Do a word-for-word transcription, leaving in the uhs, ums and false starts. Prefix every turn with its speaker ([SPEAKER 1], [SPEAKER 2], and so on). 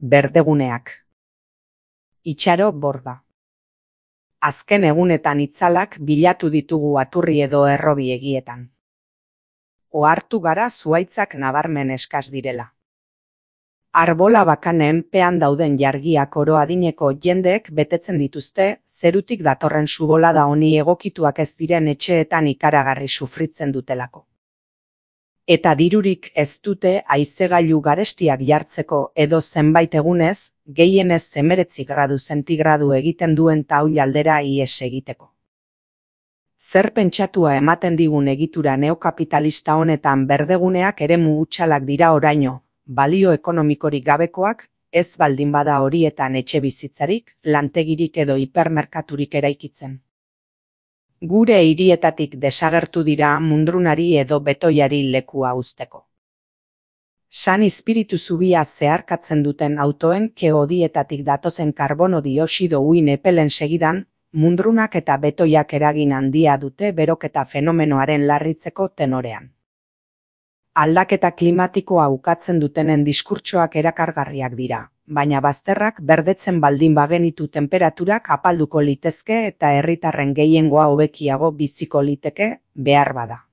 [SPEAKER 1] berdeguneak. Itxaro borda. Azken egunetan itzalak bilatu ditugu aturri edo errobi egietan. Ohartu gara zuhaitzak nabarmen eskas direla. Arbola bakanen pean dauden jargiak oro adineko jendeek betetzen dituzte, zerutik datorren subolada honi egokituak ez diren etxeetan ikaragarri sufritzen dutelako. Eta dirurik ez dute haizegailu garestiak jartzeko edo zenbait egunez, gehienez hemeretzi gradu zentigradu egiten duen taul aldera ihes egiteko. Zer pentsatua ematen digun egitura neokapitalista honetan berdeguneak eremu hutsalak dira oraino, balio ekonomikorik gabekoak, ez baldin bada horietan etxe bizitzarik, lantegirik edo hipermerkaturik eraikitzen. Gure hirietatik desagertu dira mundrunari edo betoiari lekua uzteko. San Espiritu zubia zeharkatzen duten autoen keodietatik datozen karbono dioxido uhin epelen segidan, mundrunak eta betoiak eragin handia dute beroketa fenomenoaren larritzeko tenorean. Aldaketa klimatikoa ukatzen dutenen diskurtsoak erakargarriak dira, baina bazterrak berdetzen baldin bagenitu tenperaturak apalduko litezke eta herritarren gehiengoa hobekiago biziko liteke behar bada.